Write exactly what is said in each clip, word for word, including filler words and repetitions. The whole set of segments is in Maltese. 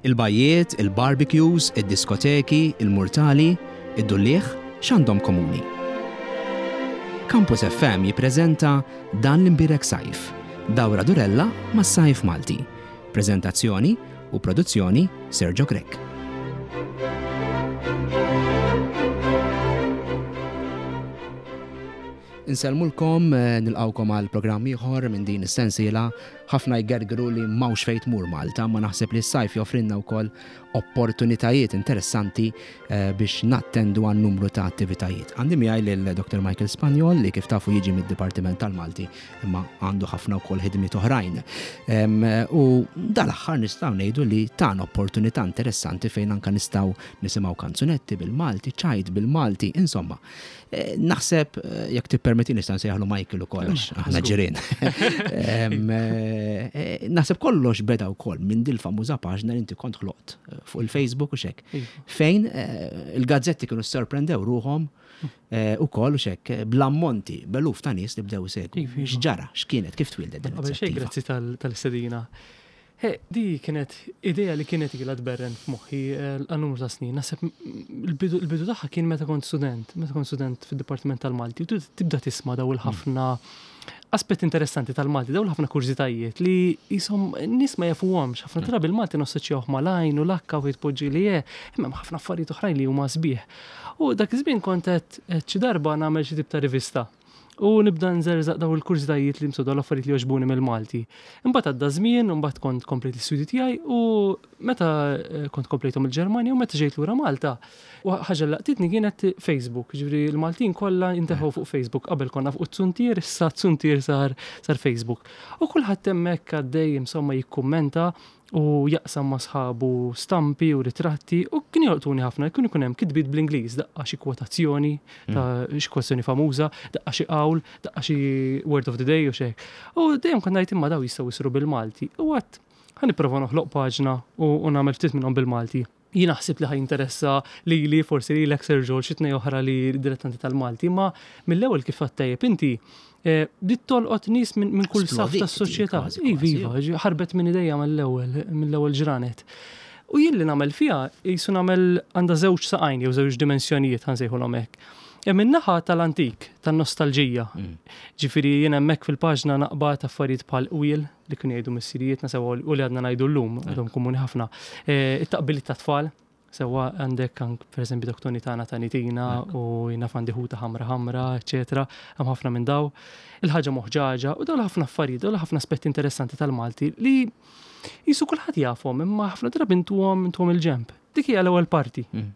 Il-bajjiet, il-barbecues, id-diskoteki, il-murtali, id-dulliegħ, x'għandhom komuni? Campus F M jippreżenta Dan l-Imbierek Sajf, dawra durella mas-sajf Malti. Prezentazzjoni u produzzjoni Sergio Grech. Insellmulkom, eh, nilqawkom għal programm ieħor minn din is-sensiela. Ħafna jgergru li m'hawnx fejn tmur Malta, ma naħseb li s-sajf joffrinna wkoll opportunitajiet interessanti eh, biex nattendu għal numru ta' attivitajiet. Għandi miegħi lil Doctor Michael Spagnol, li kif tafu jiġi mid-Dipartiment tal-Malti, imma għandu ħafna wkoll ħidmiet oħrajn. U dal-aħħar nistgħu ngħidu li tan opportunità interessanti fejn anka nistgħu nisimgħu kanzunetti bil-Malti, ċajt bil-Malti, insomma. Eh, naħseb eh, jekk tippermetti nista' nsejjaħlu Michael ukoll għax aħna ġirien. Naħseb kollox beda wkoll minn dil famuża paġna li inti kont ħloqt fuq il-Facebook u xek. Iva. Fejn eh, il-gazzetti kienu sorprendew ruħhom eh, u koll u xek bl-ammonti, b'eluf ta' nies li bdew segwu. Iva, iva. X'ġara, x'kienet, kif twildet din Qabel xejn, grazzi tal-istedina. Di kienet idea li kienet ilha tberren f'moħħi eh, għal numru ta' snin. Naħseb il-bidu tagħha kien meta kont student, meta kont student fid-Dipartiment tal-Malti, u tibda tisma' daw il-ħafna aspett interessanti tal-Malti, dawn ħafna kurżitajiet li jisom nies ma jafuhomx. Ħafna drabi il-Malti nassoċjawh mal-għajn u l-akka u jitpoġġi li je, imma ħafna affarijiet oħrajn li huma sbieħ. U dak iż-żmien kont qed xi darba nagħmel xi tip ta' rivista. U nibda nżerżaq daw il-kurżitajiet li msodu l-affarijiet li jogħġbuni mill-Malti. Imbagħad għadda żmien, imbagħad kont komplejt l-istudji tiegħi u meta eh, kont komplejthom il-Ġermanja u meta ġejt lura Malta. U ħaġa li laqtitni kienet Facebook, ġifieri l-Maltin kollha inteħu fuq Facebook. Qabel konna fuq Zuntier, issa Zuntier sar sar Facebook. U kulħadd hemmhekk għaddej, insomma, jikkummenta u jaqsam ma' sħabu stampi u ritratti, u kien jolqtuni ħafna, kien ikun hemm kitbiet bl-Ingliż, daqqa xi kwotazzjoni ta' xi kwotazzjoni famuża, daqqa xi qawl, daqqa xi word of the day u xek. U dejjem kont ngħid, imma daw jistgħu jsiru bil-Malti. U għedt ħa nipprova noħloq paġna u, u nagħmel ftit minnhom bil-Malti. Jien naħseb li ħa jinteressa li li forsi li l-ek Sergio xi tnejn oħra li dilettanti tal-Malti, ma mill-ewwel, kif tajjeb inti, eh, bdiet tolqot nies minn min kull saf tas-soċjetà. Iva, iva, ħarbet minn idejja mill-ewwel, mill-ewwel ġranet. U jien li nagħmel fiha jisu nagħmel għandha żewġ saqajn jew żewġ dimensjonijiet, ħa nsejħulhom hekk. Hemm in-naħa tal-antik, tan-nostalġija. Mm. Ġifieri jien hemmhekk fil-paġna naqbad affarijiet bħal qwiel li kienu jgħidu missirijietna sewwa u li għadna ngħidu llum, għadhom komuni ħafna. Eh, it-taqbiliet ta' tfal, sewwa għandek ank pereżempju doktoni tagħna ta' nitina u jiena għandi ħuta ħamra ħamra, eċetera. Hemm ħafna minn daw. Il-ħaġa moħġaġa u dawn ħafna affarijiet, dawn ħafna aspetti interessanti tal-Malti li jisu kulħadd jafhom, imma ħafna drabi intuhom intuhom il-ġemp. Dik hija l-ewwel parti. Mm.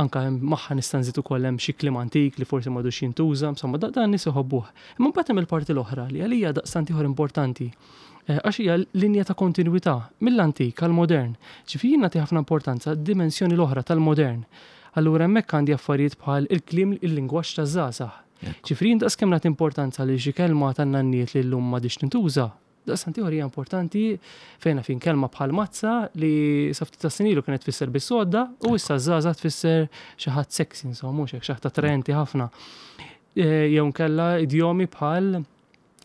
Anka magħha nista' nżid ukoll hemm xi kliem antik li forsi m'għadux jintuża, insomma, dan nies iħobbuh. Imma mbagħad hemm il-parti l-oħra li għalija daqstant ieħor importanti. Eh, għax hija linja ta' kontinwità mill-antik għal modern. Ġifieri jien nagħti ħafna importanza d-dimensjoni l-oħra tal-modern. Allura hemmhekk għandi affarijiet bħal il-kliem, il-lingwaġġ taż-żgħażagħ. Ġifieri jien daqs kemm nagħti importanza li xi kelma tan-nanniet li llum m'għadix tintuża, daqstant ieħor hija importanti fejn fin kelma bħal mazza li sa ftit ta' snin ilu kienet tfisser bis-sodda u issa żgħażagħ tfisser xi ħadd sexy, insomma, mhux hekk, xi ħadd attraenti ħafna. Eh, jew nkella idjomi bħal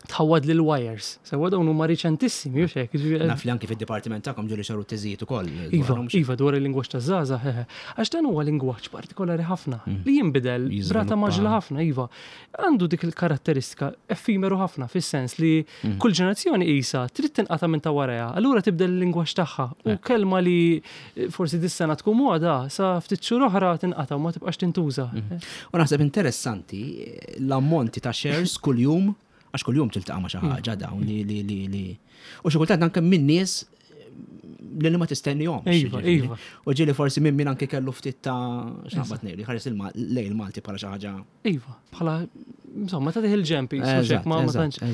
tħawad lil wires. Sewwa, dawn huma riċentissimi, u hekk. Naf li anki fid-dipartiment tagħkom ġieli saru teżijiet ukoll. Iva, iva, dwar il-lingwaġġ taż-żgħażagħ, għax dan huwa lingwaġġ partikolari ħafna mm. li jinbidel brata mgħaġġla ħafna, iva. Għandu dik il-karatteristika effimeru ħafna, fis-sens li mm. kull ġenerazzjoni isa trid tinqata' minn ta' warajha, allura tibdel il-lingwaġġ tagħha u kelma li forsi dis-sena tkun moda, sa ftit xhur oħra tinqata' u ma tibqax tintuża. Mm. U naħseb interessanti l-ammonti ta' shares kuljum, għax kuljum tiltaqa' ma' xi ħaġa dawn li li li li. U xi kultant anke minn nies li ma tistennihomx. Iva, iva. U ġieli forsi minn min anke kellu ftit ta' x'naqbad ngħidu, ħares lejn il-Malti bħala xi ħaġa. Iva, bħala, insomma, ta' il-ġempi, ma ma tantx.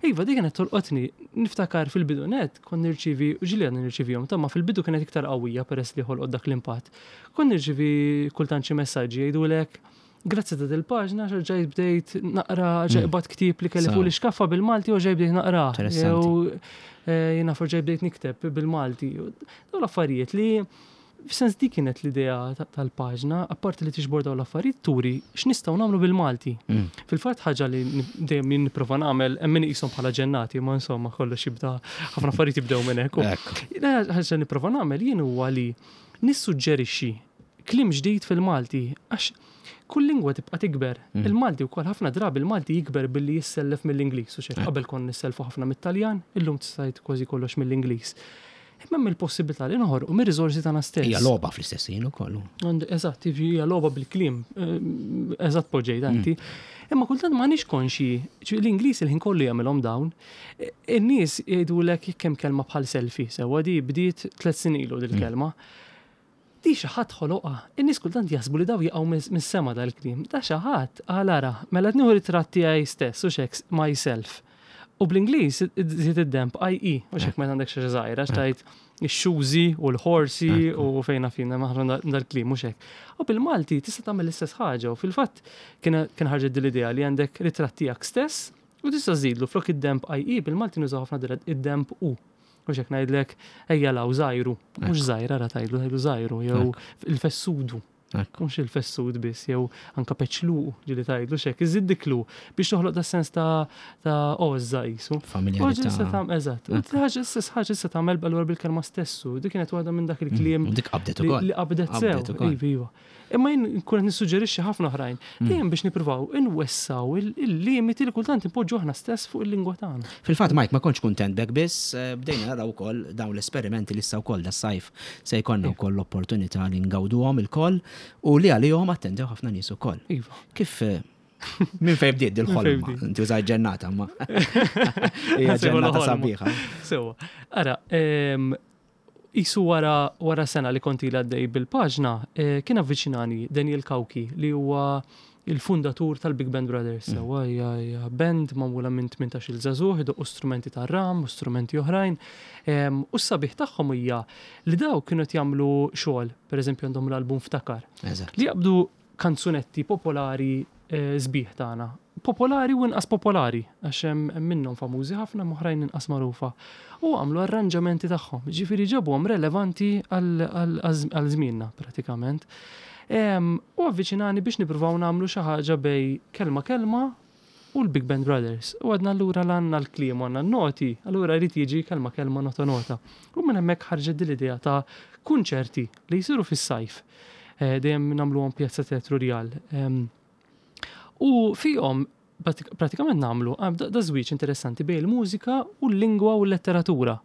Iva, dik kienet tolqotni. Niftakar fil-bidu net, kont nirċivi, u ġieli għadni nirċivihom, ta' ma fil-bidu kienet iktar qawwija peress li ħolqot dak l-impatt. Kont nirċivi kultant xi messaġġi jgħidulek, "Grazzi ta' dil-paġna, ġajt bdejt naqra, ġajt mm. bat ktieb li kelli fuq l-iskaffa bil-Malti u ġajt bdejt naqra. Jew eh, jiena ġajt bdejt nikteb bil-Malti." Dawn l-affarijiet li F'sens dik kienet l-idea tal-paġna, apparti li tiġbor dawn l-affarijiet turi x'nistgħu nagħmlu bil-Malti. Mm. Fil-fatt ħaġa li dejjem nipprova nagħmel hemm min iqishom bħala ġennati, ma insomma kollox jibda ħafna affarijiet jibdew minn hekk. Ħaġa nipprova nagħmel jien huwa li nissuġġerixxi kliem ġdid fil-Malti għax kull lingwa tibqa' tikber. Mm. Il-Malti wkoll ħafna drabi il-Malti jikber billi jissellef mill-Ingliż u xejn. Qabel konna nisselfu ħafna mit-Taljan, illum tista' kważi kollox mill-Ingliż. Imma hemm il-possibilità li noħorqu mir-riżorsi tagħna stess. Hija logħba fl-istess ħin ukoll. Eżatt, hija logħba bil-kliem, eh, eżatt poġġejt inti. Mm. Imma kultant m'aħniex konxji, l-Ingliż il-ħin kollu jagħmilhom dawn. In-nies jgħidulek jekk hemm kelma bħal selfie, sewwa di bdiet tliet snin ilu dil-kelma. Mm. Di xi ħadd ħoloqha. In-nies kultant jaħsbu li daw jaqgħu mis-sema dal-kliem. Da xi ħadd qal ara, mela nieħu ritratt tiegħi stess u xek myself. U bl-Ingliż żid id-demb I E, u xek meta għandek xi żgħira xtajt ix-shoesy u l-horsey u fejna fina maħna dal-kliem u xek. U bil-Malti tista' tagħmel l-istess ħaġa u fil-fatt kien ħarġet din l-idea li għandek ritratt tiegħek stess u tista' żidlu flok id-demb I E bil-Malti nużaw ħafna id-demb U. U xek ngħidlek ejja law żajru, mhux żgħira ra tgħidlu tgħidlu żajru jew il-fessudu. Mhux il-fessud biss, jew anka peċluq ġieli tgħidlu xek, iżid diklu biex toħloq da sens ta' ta' għożża qisu. Familjarità. Eżatt. Ħaġa stess ħaġa issa tagħmel allura bil-kelma stessu. Dik kienet waħda minn dak il-kliem. Dik qabdet ukoll. Li qabdet sew. Iva, iva. Imma jien nkun qed nissuġġerixxi ħafna oħrajn. Dejjem biex nippruvaw inwessaw il-limiti li kultant impoġġu aħna stess fuq il-lingwa tagħna. Fil-fatt Mike ma kontx kuntent bek biss, bdejna naraw ukoll dawn l-esperimenti li issa wkoll das-sajf se jkollna wkoll l-opportunità li ngawduhom ilkoll u li għalihom attendew ħafna nies ukoll. Iva. Kif minn fejn bdiet dil-ħolma? Inti użajt ġennata ma. Hija ġennata sabiħa. Sewa. Ara, Isu wara, wara sena li konti għaddej bil-paġna, eh, kien avviċinani Daniel Cauchi li huwa il-fundatur tal-Big Band Brothers. Sewwa mm. hija band magħmula minn tmintax-il żagħżugħ idoqqu strumenti tar-ram u strumenti oħrajn. U s-sabiħ tagħhom hija li daw kienu qed jagħmlu xogħol, pereżempju għandhom l-album Ftakar. Li jaqbdu kanzunetti popolari sbieħ tagħna. Popolari u inqas popolari, għax hemm minnhom famużi ħafna oħrajn inqas magħrufa. U għamlu arranġamenti tagħhom, ġifieri ġabuhom relevanti għal żmienna pratikament. U avviċinani biex nippruvaw nagħmlu xi ħaġa bej kelma kelma u l-Big Band Brothers. U għadna allura l-għandna l-kliem għandna n-noti, allura jrid jiġi kelma kelma nota nota. U minn hemmhekk ħarġet din l-idea ta' kunċerti li jsiru fis-sajf. Dejjem nagħmluhom Pjazza Teatru Rjal. U fihom pratikament nagħmlu da żwieġ interessanti bejn il-mużika u l-lingwa u l-letteratura.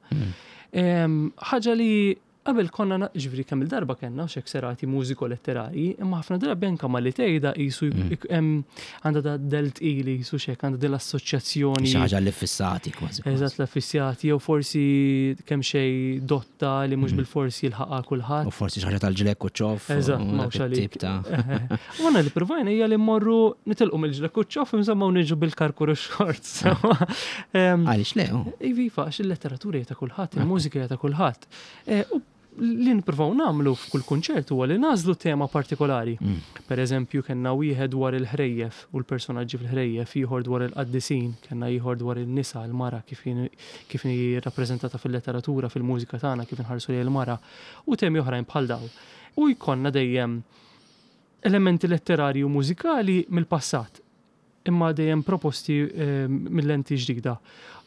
Ħaġa li qabel konna ġifieri kemm il-darba kellna xek serati mużiko-letterari, imma ħafna drabi anke ma li tgħidha qisu għandha da delt ili qisu xek għandha din l-assoċjazzjoni. Xi ħaġa li fissati kważi. Eżatt l-affissjati jew forsi kemm xejn dotta li mhux bil-forsi jilħaqha kulħadd. U forsi xi ħaġa tal-ġlekk u ċoff. Eżatt, m'hawnx għalik. U għandna li provajna hija li mmorru nitilqu mill-ġlekk u ċoff insomma u niġu bil-karkur u xorts. Għaliex le? Iva, għax il-letteratura hija ta' kulħadd, il-mużika hija ta' kulħadd. Li nippruvaw nagħmlu f'kull kunċert huwa li nagħżlu tema partikolari. Mm. Per eżempju, kellna wieħed dwar il-ħrejjef u l-personaġġi fil-ħrejjef, ieħor dwar il-qaddisin, kellna ieħor dwar in-nisa, il-mara kif kif hi rappreżentata fil-letteratura, fil-mużika tagħna, kif inħarsu lejn il-mara, u temi oħrajn bħal dawn. U jkollna dejjem elementi letterari u mużikali mill-passat, imma dejjem proposti eh, mill-lenti ġdida.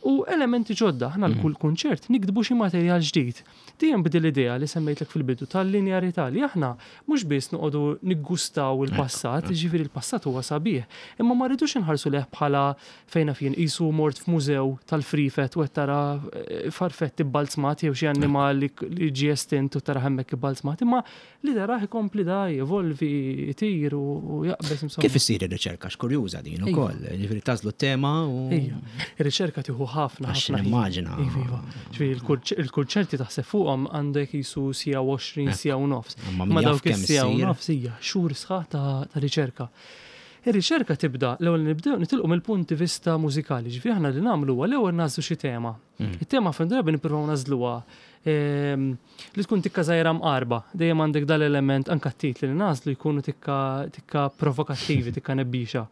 U elementi ġodda, aħna l-kull kunċert nikdbu xi materjal ġdid. Dejjem bdil l-idea li semmejtlek fil-bidu tal-linjarità li aħna mhux biss noqogħdu niggustaw il-passat, ġifieri il-passat huwa sabiħ, imma ma rridux inħarsu leh bħala fejna fien qisu mort f'mużew tal-frifet u qed tara farfett ibbalzmat jew xi annimal li ġie estint u tara hemmhekk ibbalzmat, imma li tarah ikompli da jevolvi, jtir u jaqbeż insomma. Kif issir ir-riċerka? X'kurjuża din ukoll, ġifieri tażlu t-tema u Ir-riċerka tieħu ħafna ħafna. Immaġina. Iva, ġifieri il-kunċerti taħseb fuqhom għandek jisu sija u għoxrin, sija u nofs. Ma dawk is-sija u nofs hija xhur sħaħ ta' riċerka. Ir-riċerka tibda l-ewwel nibdew nitilqu mill-punti vista mużikali, ġifieri aħna li nagħmlu huwa l-ewwel nażlu xi tema. It-tema ħafna drabi nippruvaw nażluha li tkun tikka żgħira mqarba, dejjem għandek dal-element anke t-titli li nażlu jkunu tikka tikka provokattivi, tikka nebbixa.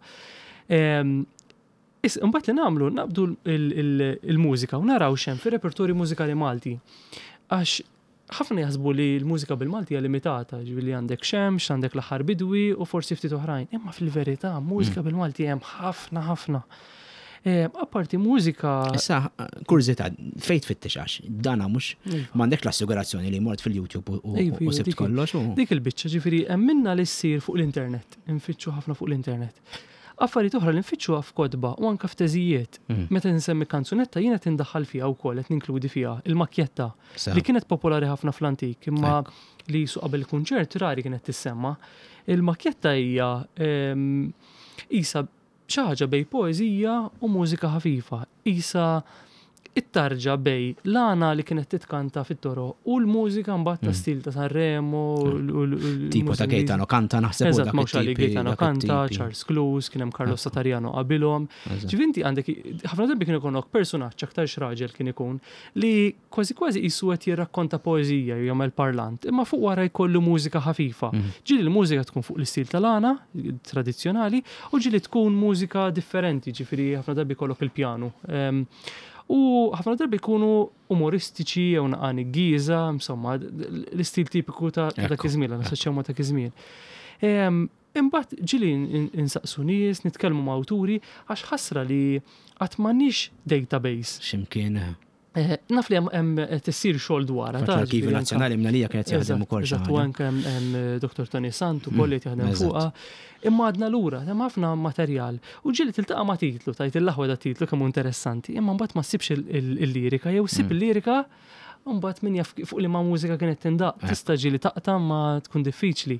Is imbagħad li nagħmlu naqbdu il-mużika u naraw x'hemm fir-repertorju mużikali Malti. Għax Ħafna jaħsbu li l-mużika bil-Malti hija limitata, ġifieri għandek Xemx, għandek l-Aħħar Bidwi u forsi ftit oħrajn. Imma fil-verità, mużika bil-Malti hemm ħafna ħafna. Eh, Apparti mużika. Issa, kurżità, fejn tfittex għax, dana mhux Iva. m'għandek l-assigurazzjoni li mort fil-YouTube u- u Iva, u iva, sibt dik- kollox u. Dik il-biċċa ġifieri hemm minna li ssir fuq l-internet, infittxu ħafna fuq l-internet. Affarijiet oħra li nfittxuha f'kotba u anke f'teżijiet. Mm. Meta nsemmi kanzunetta jiena tindaħħal fiha wkoll qed ninkludi fiha il-makjetta Sa. li kienet popolari ħafna fl-antik imma li su qabel kunċert rari kienet tissemma. Il-makjetta hija ehm, isa xi ħaġa bejn poeżija u mużika ħafifa. Isa it-tarġa bejn l-għana li kienet titkanta fit-toroq u l-mużika mbagħad ta' stil ta' Sanremo u l- u l- u l- Tipo ta' mużika Gaetano Kanta naħseb u Eżatt, dak mhux għali it-tipi- Gaetano dak Kanta, it-tipi. Charles Clews, kien hemm Carlos Satariano qabilhom. Eżatt. Ġifieri inti għandek ħafna drabi kien ikollok personaġġ aktar raġel kien ikun li kważi kważi qisu qed jirrakkonta poeżija jew jagħmel parlant, imma fuq wara jkollu mużika ħafifa. Ġieli l-mużika tkun fuq l-istil tal-għana tradizzjonali u ġieli tkun mużika differenti, ġifieri ħafna drabi jkollok il-pjanu. Em, U ħafna drabi jkunu umoristiċi jew naqani giża, insomma, l-istil tipiku ta' ta' dak Ekku, iż-żmien, nassoċjaw ma' dak iż-żmien. Em, Imbagħad ġieli in- insaqsu nies, nitkellmu ma' awturi, għax ħasra li qatt m'għandniex database. X'imkien. eh, Eh, Naf li hemm- hemm qed issir xogħol dwarha. Fatt ta' l-Arkivju ġifieri anka- Nazzjonali mnalija kienet jaħdem Eżatt, ukoll xi eżatt, u ħaġa. anke hemm hemm Dr. Tony Sant ukoll li jaħdem eżatt. fuqha. Imma għadna lura, hemm ħafna materjal. U ġieli tiltaqa' ma' titlu, tajt il-aħwa da titlu kemm hu interessanti, imma mbagħad ma ssibx il- il- il-lirika jew ssib il-lirika u mbagħad min jaf fuq li ma' mużika kienet tindaq, tista' ġieli taqta' ma tkun diffiċli.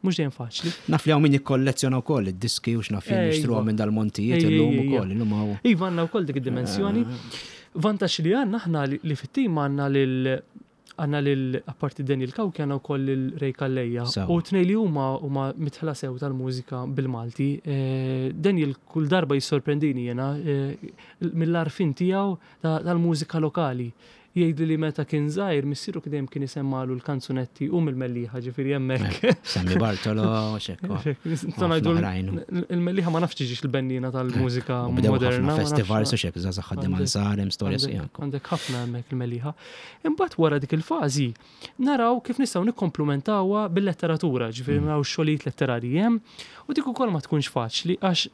Mhux dejjem faċli. Naf li hawn min jikkollezzjona wkoll id-diski u x'naf jien Ejwa. jixtruhom minn dal-montijiet Ej, illum ej, ej, ukoll, illum hawn. Iva għandna wkoll dik id-dimensjoni. Vantaġġ li għandna aħna li, li fit-tim għandna lil għandna lil apparti Daniel Cauchi għandna wkoll lil Ray Calleja. Sew. U tnej li huma huma mitħla sew tal-mużika bil-Malti. Eh, Daniel kull darba jissorprendini jena eh, mill-għarfien tiegħu ta- tal-mużika lokali. Jgħidli li meta kien żgħir missieru dejjem kien isemmalu l-kanzunetti u mill-Mellieħa ġifieri hemmhekk. Sammy Bartolo, xekko. Nistgħu ngħidu oħrajn. il-Mellieħa ma nafx tiġix il-bennina tal-mużika U bdew moderna. ħafna ma nafx- festivals u xek, zaza ħaddim Għandek- ansar, hemm storja Għandek- sijak. Għandek ħafna hemmhekk il-Mellieħa. Imbagħad wara dik il-fażi naraw kif nistgħu nikkomplementawha bil-letteratura, ġifieri naraw xogħlijiet letterarji hemm u dik ukoll ma tkunx faċli għax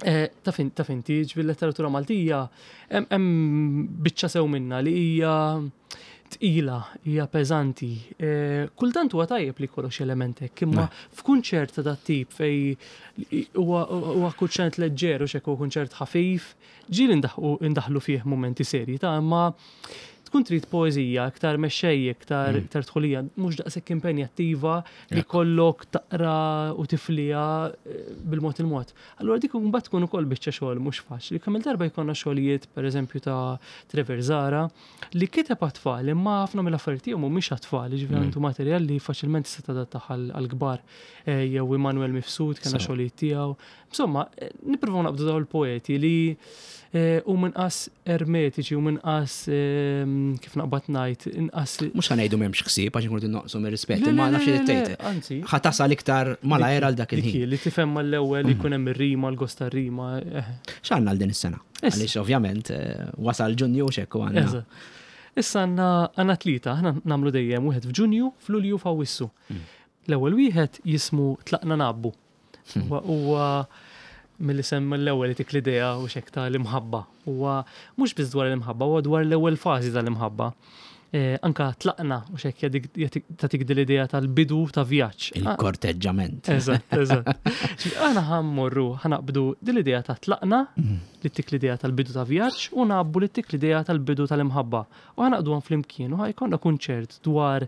eh, taf in- taf inti ġifieri letteratura Maltija hemm hemm biċċa sew minna li hija tqila, hija peżanti. Eh, Kultant huwa tajjeb li jkollok xi element hekk, imma f'kunċert ta' dat tip fej huwa huwa kunċert leġġer u x'hekk huwa kunċert ħafif, ġieli ndaħħu indaħlu fih momenti serji ta' imma tkun trid poeżija iktar mexxej, iktar iktar tħulija, mhux daqshekk impenjattiva li kollok taqra u tiflija eh, bil-mod il-mod. Allura dik mbagħad tkun ukoll biċċa xogħol mhux faċli. Kemm il-darba jkollna xogħlijiet pereżempju ta' Trevor Zara li kiteb għat-tfal imma ħafna mill-affarijiet tiegħu mhumiex għat-tfal, jiġifieri għandu materjal li faċilment tista' tadattah għall-kbar. Eh, Jew Immanuel Mifsud kellna Sew. xogħlijiet tiegħu. Insomma, eh, nippruvaw naqbdu dawn il-poeti li eh, u minqas ermetiċi u minqas ehm, kif naqbad ngħid, inqas Mhux ħa ngħidu m'hemmx ħsieb għax inkunu noqsu mir-rispett, Le, imma le, nafx li le, le, tgħid. Anzi, Ħa tasal iktar malajr għal dak dik il-ħin. hi, li tifhem mal-ewwel li jkun hemm ir-rima, l-gost tar-rima. eh. X'għandna għal din is-sena? Issa. Għaliex ovvjament eh, wasal Ġunju u xekku għandna. Eżatt. Issa għandna għandna tlieta, aħna nagħmlu dejjem wieħed f'Ġunju, f'Lulju, f'Awwissu. L-ewwel wieħed jismu Tlaqna Nabbu. Huwa huwa mill-isem mill-ewwel li tik l-idea u xek ta' l-imħabba. Huwa mhux biss dwar l-imħabba, huwa dwar l-ewwel fażi tal-imħabba. Eh, anka tlaqna u xek tatik din l-idea tal-bidu ta' vjaġġ. Ah, Il-korteġġament. Eżatt, eżatt. Ġifieri Aħna ħammorru, ħanaqbdu din l-idea ta' tlaqna, li tik l-idea tal-bidu ta' vjaġġ, u nabbu li tik l-idea tal-bidu tal-imħabba. U ħanaqdu għan flimkien, u ħajkonna kunċert dwar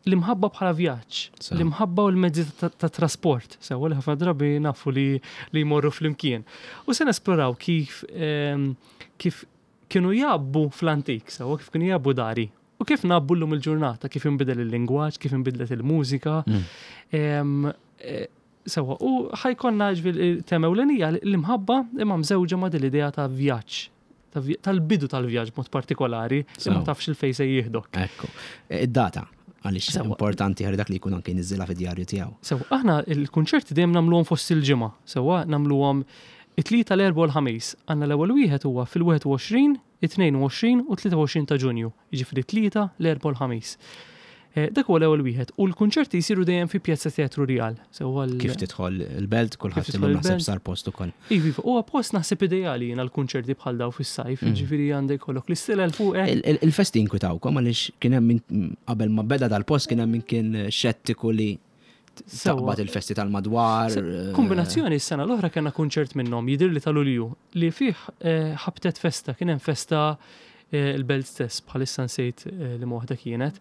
l-imħabba bħala vjaġġ, Sew. l-imħabba u l-mezzi ta' ta' trasport, sewa li ħafna drabi nafu li, li jmorru flimkien. U se nesploraw kif, ehm, kif kienu jabbu fl-antik, sewa kif kienu jabbu dari. U kif nabbu l-lum il-ġurnata, kif inbidel il-lingwaġġ, kif inbidlet il-mużika. Ehm, eh, Sewa, u ħajkonna ġifieri tema ewlenija l-imħabba imma mżewġa ma' din l-idea ta' vjaġġ, ta' vja- tal-bidu tal-vjaġġ mod partikolari, li ma Sew. tafx il-fej se jieħdok. Ekku. Eh, Id-data, għaliex Sewa. importanti ħalli dak li jkun anke jniżżilha fid-djarju tiegħu. Sewa, aħna il-kunċerti dejjem nagħmluhom fost il-ġimgħa, sewa nagħmluhom It-Tlieta, l-Erbgħa u l-Ħamis. Għandna l-ewwel wieħed huwa fil-wieħed u għoxrin, it-tnejn u għoxrin u tlieta u għoxrin ta' Ġunju. Jiġifieri tlieta, l-Erbgħa u l-Ħamis. Eh, Dak huwa l-ewwel wieħed. U l-kunċerti jsiru dejjem fi Pjazza Teatru Rjal. Sewwa l- Kif tidħol il-Belt, kulħadd Kif tidħol illum naħseb il-Belt. sar post ukoll. Iva, iva, huwa post naħseb ideali jiena l-kunċerti bħal daw fis-sajf, Mm. ġifieri għandek kollok l-istilel fuqek. Il- il- Il-festi inkwitawkom għaliex kien hemm min qabel ma beda dal-post kien hemm min kien xettiku li Sewwa. taqbad il-festi tal-madwar. eh, Kombinazzjoni s-sena l-oħra kellna kunċert minnhom jidir li tal-Ulju li fih eh, ħabtet festa, kien hemm festa eh, il-Belt stess, bħalissa nsejt eh, li waħda kienet.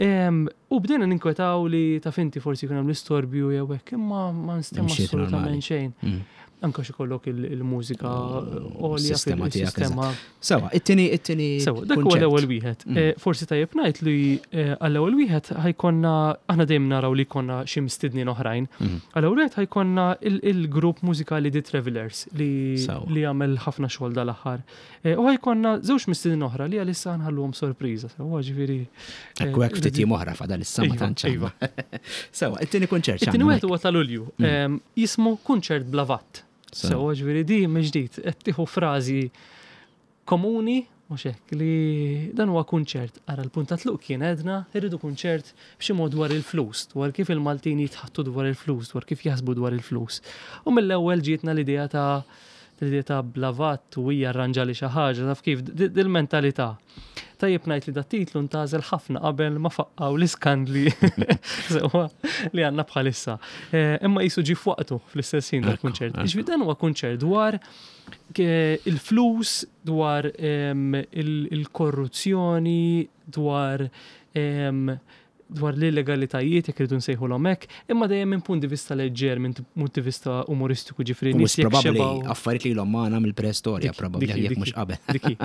Em, U bdejna ninkwetaw li ta' finti forsi jkun hemm l-istorbju jew hekk, imma ma nstema Imxiet assolutament normali. xejn. Mm. Anka xi kollok il- il-mużika għolja Sistema tiegħek, fil-sistema. Sewwa, it-tieni it-tieni Sewwa, dak huwa kunċert. l-ewwel wieħed. Mm. Eh, Forsi tajjeb ngħid li eh, għall-ewwel wieħed ħa jkollna, aħna dejjem naraw li jkollna xi mistednin oħrajn. Mhm. Għall-ewwel wieħed ħa jkollna il- il-grupp mużikali The Travelers li Sewwa. li għamel ħafna xogħol dal-aħħar. Eh, U ħa jkollna żewġ mistednin oħra li għalissa nħalluhom sorpriża. Sewwa, ġifieri. eh, Ekku hekk ftit jiem oħra fadal issa ma Iva, tantx. iva. Sewwa, it-tieni kunċert. It-tieni x'għandna wieħed huwa ta' Lulju. Mm. Em, Jismu Kunċert bla VAT. Sewwa. Sewwa, ġifieri di mill-ġdid qed tieħu frażi komuni mhux hekk li dan huwa kunċert. Ara, l-punt ta' tluq kien għedna irridu kunċert b'xi mod dwar il-flus, dwar kif il-Maltin jitħattu dwar il-flus, dwar kif jaħsbu dwar il-flus. U mill-ewwel ġietna l-idea ta' l-idea ta' bla VAT u hija arranġa li xi ħaġa, taf kif dil-mentalità. Tajjeb ngħid li dat titlu ntgħażel ħafna qabel ma faqqaw l-iskandli sewwa li għandna bħalissa. Eh, Imma qisu ġie f'waqtu fl-istess ħin Ekku, dal-kunċert. ekku. Ġifieri dan huwa kunċert dwar ke- il-flus, dwar em, il- il-korruzzjoni, dwar em, dwar l-illegalitajiet, jekk irridu nsejħulhom hekk, imma dejjem minn punt di vista leġġer, minn punt di vista umoristiku, ġifieri Mhux nies jekk probabbli xebgħu- affarijiet li ilhom magħna mill-preistorja Dik- probabbli dik- jekk dik- mhux qabel. Diki.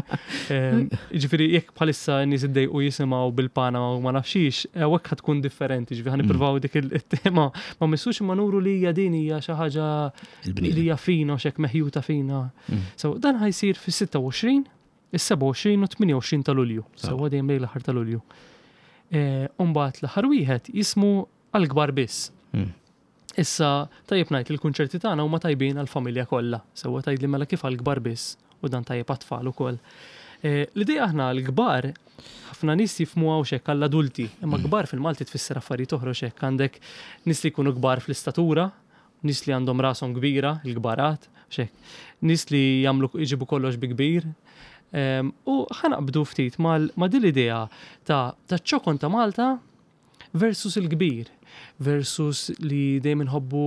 Em, Ġifieri, jekk bħalissa nies iddejqu jisimgħu bil-Panama u ma nafxiex, hekk ħa tkun differenti, ġifieri ħa nippruvaw dik il-tema ma missux imma nuru li hija din hija xi ħaġa li Il-bniedem. hija fina u xek meħjuta fina. Mm. So dan ħa jsir fis-sitta u għoxrin, is-sebgħa u għoxrin u tmienja u għoxrin ta' Lulju. Sew. Sewwa, dejjem lejn l-aħħar ta' Lulju. Eh, Umbagħad l-aħħar wieħed jismu Għall-Kbar Biss. Mm. Issa, tajjeb ngħid li l-kunċerti tagħna huma tajbin għall-familja kollha. Sewwa, tgħid li mela kif għall-kbar biss u dan tajjeb għat-tfal ukoll. Eh, L-idea aħna l-kbar ħafna nies jifhmu hawn xek għall-adulti, imma kbar fil-Malti tfisser affarijiet oħra xek għandek nies li jkunu kbar fl-istatura, nies li għandhom rashom kbira, il-kbarat, xek, nies li jagħmlu jġibu kollox bi kbir. Em, U ħa naqbdu ftit mal- ma' din l-idea ta' ta' ċokon ta' Malta versus il-kbir, versus li dejjem inħobbu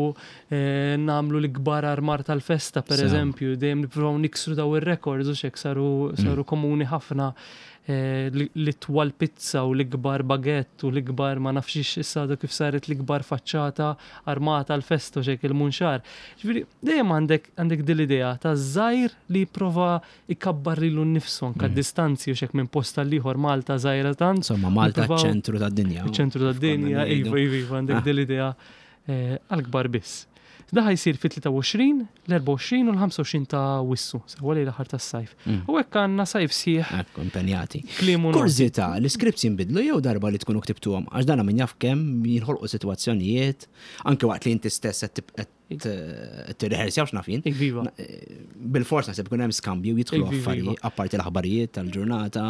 eh, nagħmlu l-kbar armar tal-festa, per Sew. eżempju, dejjem nippruvaw niksru daw ir-records u xek saru, saru komuni ħafna eh, li l-itwal pizza u l-ikbar bagett u l-ikbar ma nafxiex issa għadu kif saret l-ikbar faċċata armata l-festa u xek il-Munxar. Ġifieri, dejjem għandek għandek din l-idea ta' żgħir li jipprova ikabbar lilu nnifsu anka Mm. distanzi u xek minn post għall-ieħor, Malta żgħira tant. Insomma, Malta Nippruvaw- ċentru tad-dinja. Iċ-ċentru tad-dinja, Konna ngħidu. iva, iva, iva, għandek Ah. din l-idea eh, għal-kbar biss. Da ħa jsir fit-tlieta u għoxrin, l-erbgħa u għoxrin u l-ħamsa u għoxrin ta' Awwissu, sewwa, lejn l-aħħar tas-sajf. Mm. U hekk għandna sajf sħiħ Ekku, impenjati. klimu noti. Kurżità, l-scripts jinbidlu jew darba li tkunu ktibtuhom? Għax dana min jaf kemm jinħolqu sitwazzjonijiet, anke waqt li inti stess qed tib- qed tirrehearsjaw x'naf jien. Iva. Bil-fors naħseb ikun hemm skambju, jidħlu Iva, iva. affarijiet, apparti l-aħbarijiet tal-ġurnata.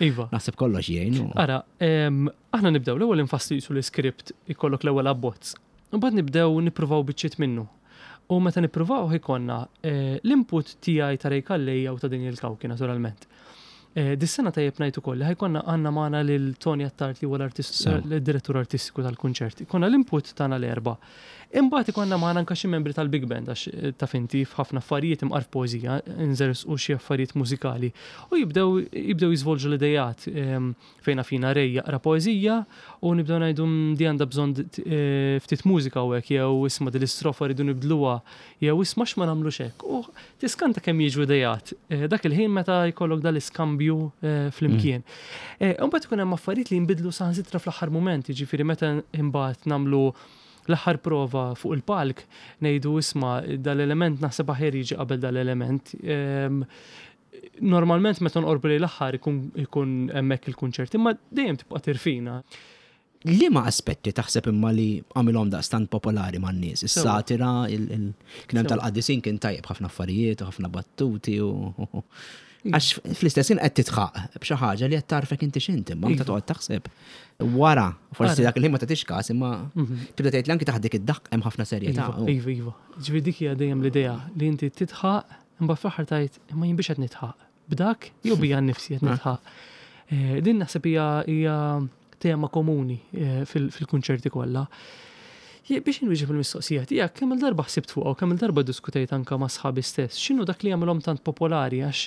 Iva. Naħseb kollox jgħin. u- Ara, em, aħna nibdew l-ewwel infasslu jisu l-iskript, ikollok l-ewwel abbozz. Mbagħad nibdew nippruvaw biċċiet minnu. U meta nippruvaw ikollna eh, l-input tiegħi, ta' Ray Calleja u ta' Daniel Cauchi naturalment. Eh, Dis-sena tajjeb ngħid ukoll li ħa jkollna għandna magħna lil Tony Attard li huwa l-artist Sew. l-direttur artistiku tal-kunċert. Ikollna l-input tagħna l-erba'. Imbagħad ikollna magħna anke xi membri tal-Big Band għax eh, taf inti f'ħafna affarijiet imqar f'poeżija nżersqu xi affarijiet mużikali u jibdew jibdew jiżvolġu l-idejat em, fejna fina Ray jaqra poeżija u nibdew ngħidu "Mm, di għandha bżonn eh, ftit mużika u hekk jew isma' din l-istrofa rridu nibdluha jew isma' x'ma nagħmlux hekk." U tiskanta kemm jiġu idejat eh, dak il-ħin meta jkollok dal-iskambju eh, flimkien. Eh, Imbagħad ikun hemm affarijiet li jinbidlu saħansitra fl-aħħar mument, jiġifieri meta imbagħad nagħmlu l-aħħar prova fuq il-palk, ngħidu isma' dal-element naħseb aħjar jiġi qabel dal-element. Em, Normalment meta nqorbu lejn l-aħħar ikun ikun hemmhekk il-kunċert, imma dejjem tibqa' tirfina. Liema aspetti taħseb imma li għamilhom daqstant popolari man-nies? Is-satira, kien hemm tal-qaddisin kien tajjeb ħafna affarijiet u ħafna battuti u għax fl-istess ħin qed tidħaq b'xi ħaġa li qed tarfek inti x'inti, imma meta toqgħod taħseb wara, forsi dak il-ħin ma tagħtix każ, imma tibda tgħid li anki taħt dik id-daqq hemm ħafna serjetà. Iva, iva. Ġifieri dik hija dejjem l-idea li inti tidħaq imbagħad fl-aħħar tgħid imma jien biex qed nidħaq. B'dak jew bija nnifsi qed nidħaq. Din naħseb hija tema komuni fil-kunċerti kollha. Biex inwieġeb il-mistoqsija tiegħek, kemm il-darba ħsibt fuqha u kemm il-darba diskutejt anke ma' sħabi stess, x'inhu dak li jagħmilhom tant popolari għax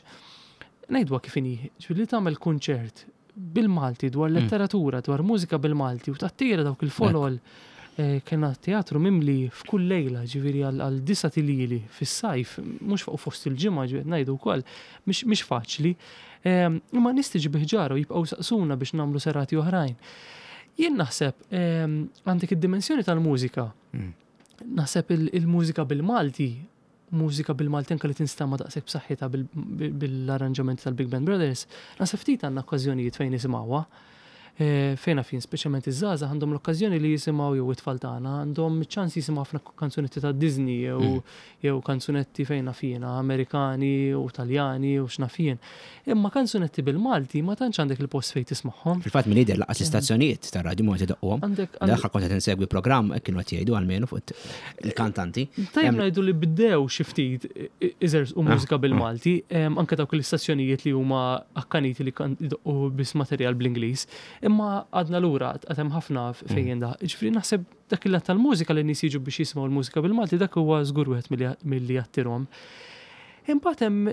ngħidwa kif inhi, ġifieri li tagħmel kunċert bil-Malti dwar letteratura, dwar mużika bil-Malti u tattira dawk il-folol kena teatru mimli f'kull lejla, ġifieri għal disa' tilili fis-sajf, mhux fuq fost il-ġimgħa ġifieri ngħidu wkoll, mhix faċli. Imma nies tiġi bi ħġara u jibqgħu saqsuna biex nagħmlu serati oħrajn. Jien naħseb għandek id-dimensjoni tal-mużika. Naħseb il-mużika bil-Malti, mużika bil-Malti anke li tinstama' daqshekk b'saħħitha bil-arranġamenti tal-Big Band Brothers, naħseb ftit għandna okkażjonijiet fejn nisimgħuha. Fejn fejn speċjalment iż-żgħażagħ għandhom l-okkażjoni li jisimgħu jew it-tfal tagħna għandhom ċans jisimgħu ħafna kanzunetti ta' Disney jew jew kanzunetti fejn fjena Amerikani u Taljani u x'naf jien. Imma kanzunetti bil-Malti ma tantx għandek il-post fejn tismagħhom. Fil-fatt min jidher laqas l-istazzjonijiet tar-radju ma jdoqquhom. L-aħħar kont qed insegwi programm kienu qed jgħidu almenu fuq il-kantanti. Tajjeb ngħidu li bdew xi ftit iżerżqu mużika bil-Malti, anke dawk l-istazzjonijiet li huma akkaniti li jdoqqu biss materjal bl-Ingliż. Imma għadna lura għad hemm ħafna fejn da. Ġifieri naħseb dak il-lat tal-mużika li nies jiġu biex jisimgħu l-mużika bil-Malti dak huwa żgur wieħed milli jattirhom. Imbagħad hemm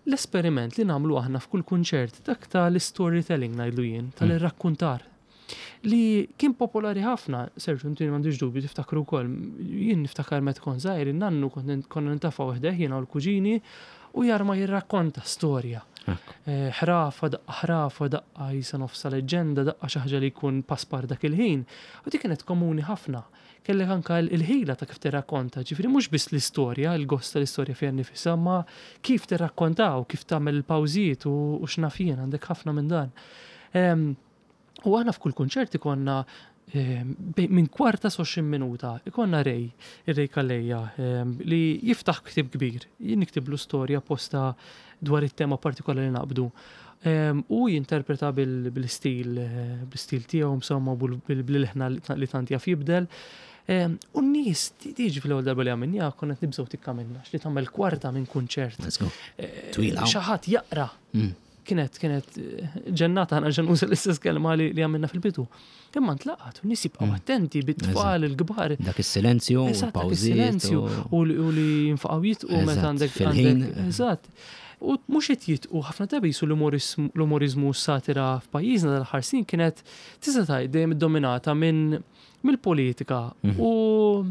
l-esperiment li nagħmlu aħna f'kull kunċert, dak tal-storytelling ngħidlu jien, tal-irrakkuntar. Li kien popolari ħafna, Sergio, inti m'għandix dubju tiftakru wkoll. Jien niftakar meta kont żgħir, in-nannu konna nintafgħu ħdejh jiena u l-kuġini u jarma jirrakkonta storja. Ħrafa, daqqa ħrafa, daqqa jisa nofsa leġenda, daqqa xi ħaġa li jkun paspar dak il-ħin. U dik kienet komuni ħafna. Kellek anka il-ħila ta' kif tirrakkonta, ġifieri mhux biss l-istorja, il-gost tal-istorja fiha nnifisha, ma kif tirrakkontaw, kif tagħmel il-pawżiet u x'naf jien, għandek ħafna minn dan. U aħna f'kull kunċert ikonna minn kwarta sa għoxrin minuta, ikonna Ray, ir-Ray Calleja, li jiftaħ ktieb kbir, jien niktiblu storja posta dwar it-tema partikolari li naqbdu. U jinterpreta bil-istil, bil-istil tiegħu, insomma, bil-ħna li tant jaf jibdel. U n-nies tiġi fl-ewwel darba li għamilniha konna qed nibżgħu tikka minna, li tagħmel kwarta minn kunċert. Twila. Xi ħadd jaqra. Kienet kienet ġennata, ħana ġen uża l-istess kelma li għamilna fil-bidu. Imma ntlaqat, u nies jibqgħu attenti bit-tfal il-kbar. Dak is-silenzju, il-pawżiet. U li jinfaqgħu jitqu meta għandek. Fil-ħin. Eżatt. U mhux qed jitqu ħafna drabi jisu l-umorizmu satira f'pajjiżna dal-aħħar snin kienet tista' tgħid dejjem iddominata minn mill-politika u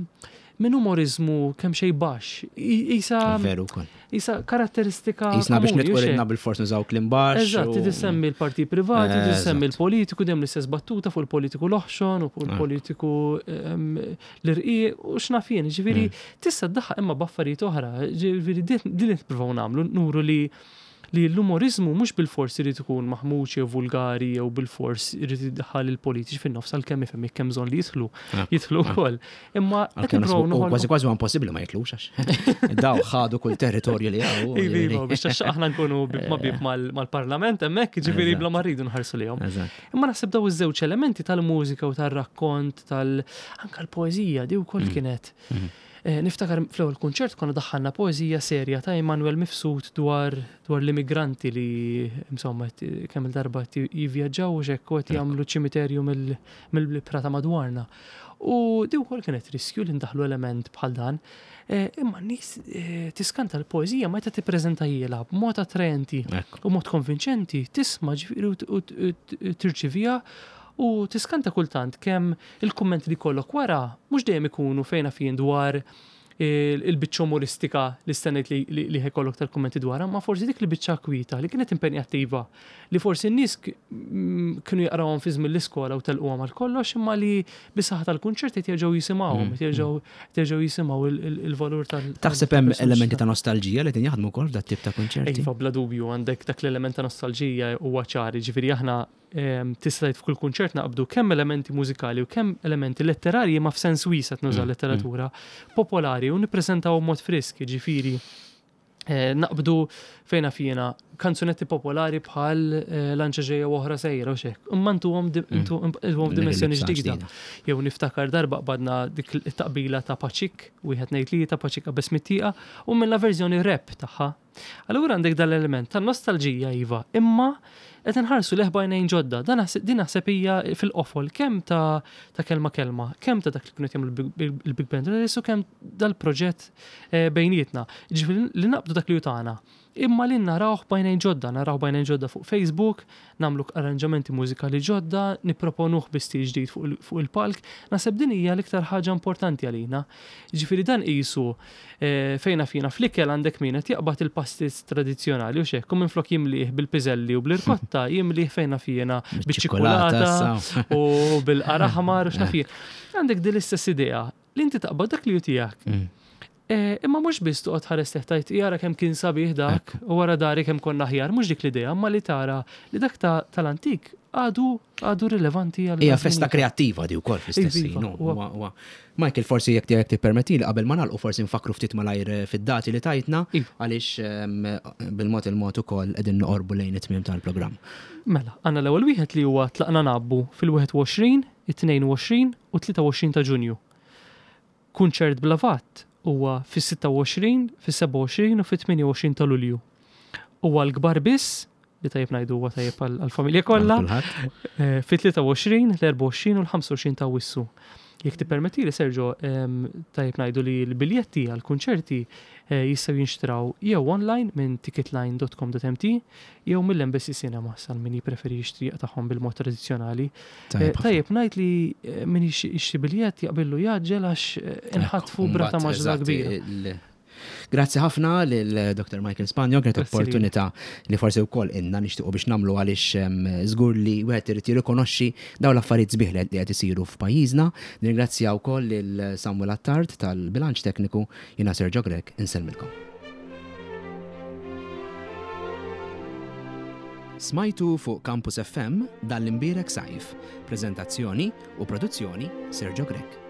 minn umorizmu kemm xejn baxx. Isa veru wkoll. Isa karatteristika. Isna biex nitqoridna bil-fors nużaw kliem baxx. Eżatt, tisemmi l-partit privati, tisemmi l-politiku, dejjem l-istess battuta fuq il-politiku l-oħxon u fuq il-politiku l-irqiq u x'naf jien. Ġifieri tista' ddaħħaq imma b'affarijiet oħra. Ġifieri din nippruvaw nagħmlu, nuru li li l-umorizmu mhux bil-fors irid ikun maħmuġ jew vulgari jew bil-fors irid iddaħħal il-politiċi fin-nofs għalkemm ifhem jekk hemm bżonn li jidħlu, jidħlu wkoll. Imma qed nippruvaw noħolqu. Kważi kważi huwa impossibbli ma jitlux għax daw ħadu kull territorju li hawn. Iva, iva, biex għax aħna nkunu bib ma bib mal-parlament hemmhekk, ġifieri bla ma rridu nħarsu lihom. Imma naħseb daw iż-żewġ elementi tal-mużika u tar-rakkont tal anke l-poeżija di wkoll kienet. Niftakar fl-ewwel kunċert konna daħħalna poeżija serja ta' Immanuel Mifsud dwar dwar l-immigranti li insomma kemm il-darba jivvjaġġaw u x'hekk u qed jagħmlu ċimiterju mill-prata madwarna. U di wkoll kienet riskju li ndaħlu element bħal dan. Imma n-nies tiskanta l-poeżija meta tippreżentajilha b'mod attraenti u mod konvinċenti, tisma' ġifieri u tirċivija. U tiskanta kultant kemm il-kummenti li kollok wara mhux dejjem ikunu fejn fien dwar il-biċċa umoristika li stennejt li, li, li ħa jkollok tal-kummenti dwarha, ma forsi dik li biċċa kwita li kienet impenjattiva li forsi n-nies mm, kienu jaqrawhom fi żmien l-iskola u telquhom għal kollox imma li bis-saħħa tal-kunċert qed jerġgħu jisimgħuhom, qed jerġgħu jerġgħu jisimgħu il-valur tal. Taħseb hemm elementi ta' nostalġija li din jaħdmu wkoll f'dat tip ta' kunċerti? Iva, bla dubju għandek dak l-element ta' nostalġija huwa ċar, ġifieri aħna tista' tgħid f'kull kunċert naqbdu kemm elementi mużikali u kemm elementi letterarji ma f'sens wiesa' nuża mm, letteratura mm. popolari u nippreżentaw mod frisk, ġifieri eh, naqbdu fejna fina kanzunetti popolari bħal eh, lanċa ġejja u oħra sejra u xek. Imma ntuhom mm. dimensjoni ġdida. Jew niftakar darba qbadna dik it-taqbila ta' Paċik, wieħed ngħid li ta' Paċik qabeż mit-tieqa u minna verżjoni rap tagħha. Allura għandek dal-element ta' nostalġija iva, imma qed inħarsu lejh b'għajnejn ġodda. Dan din naħseb hija fil-qofol kemm ta' ta' kelma kelma, kemm ta' dak li kienu jagħmlu il-Big Band u kemm dal-proġett eh, bejnietna. Ġifieri li naqbdu dak li hu tagħna. Imma li narawh b'għajnejn ġodda, narawh b'għajnejn ġodda fuq Facebook, nagħmlu arranġamenti mużikali ġodda, nipproponuh bi stil ġdid fuq il-palk, naħseb din hija l-iktar ħaġa importanti għalina. Ġifieri dan qisu eh, fejna fina fl-ikel għandek min qed jaqbad il-pastizz tradizzjonali u xek, u minflok jimlih bil-piżelli u bl-irkotta, jimlih fejna fina biċ-ċikolata u bil-qara ħamar u x'naf Għandek din l-istess idea li inti taqbad dak li hu tiegħek. Mm. Eh, imma mhux biss toqgħod ħares teħtajt jara kemm kien sabiħ dak u wara dari kemm konna aħjar, mhux dik l-idea, imma li tara li dak tal-antik għadu għadu rilevanti għal. Hija festa kreattiva di wkoll fl-istess ħin. Michael, forsi jekk jekk tippermetti li qabel ma nagħlqu forsi nfakru ftit malajr eh, fid-dati li tajtna għaliex ehm, bil-mod il-mod ukoll qegħdin noqorbu lejn it-tmiem tal-programm. Mela, għandna l-ewwel wieħed li huwa tlaqna nabbu fil-wieħed u għoxrin, it-tnejn u għoxrin u tlieta u għoxrin ta' Ġunju. Kunċert bla vatt huwa fis-sitta u għoxrin, fis-sebgħa u għoxrin u fit-tmienja u għoxrin ta' Lulju. Huwa l-kbar biss, li tajjeb ngħidu huwa tajjeb għall-familja kollha, eh, fit-tlieta u għoxrin, l-erbgħa u għoxrin u l-ħamsa u għoxrin ta' Awwissu. Jekk tippermettili, Sergio, ehm, tajjeb ngħidu li l-biljetti għall-kunċerti eh, jistgħu jinxtraw jew online minn ticketline dot com dot m t jew mill-Embassy Cinema għal min jippreferi jixtri tagħhom bil-mod tradizzjonali. Tajjeb Eh, tajjeb ngħid li, eh, min jixtri biljett jaqbillu jaġġel għax, eh, inħatfu Ekku, brata mbagħad, maġla eżatt, kbira. il- Grazzi ħafna lil Doktor Michael Spanjo, kienet Grazzi lilek. opportunità li forsi wkoll inna nixtiequ biex nagħmlu għaliex, ehm, żgur li wieħed irid jirrikonoxxi dawn l-affarijiet sbieħ li qed isiru f'pajjiżna. Nirringrazzja wkoll lil Samuel Attard tal-Bilanċ Tekniku, jiena Sergio Grech, insellmilkom. Smajtu fuq Campus F M dan l-imbierek sajf. Prezentazzjoni u produzzjoni Sergio Grech.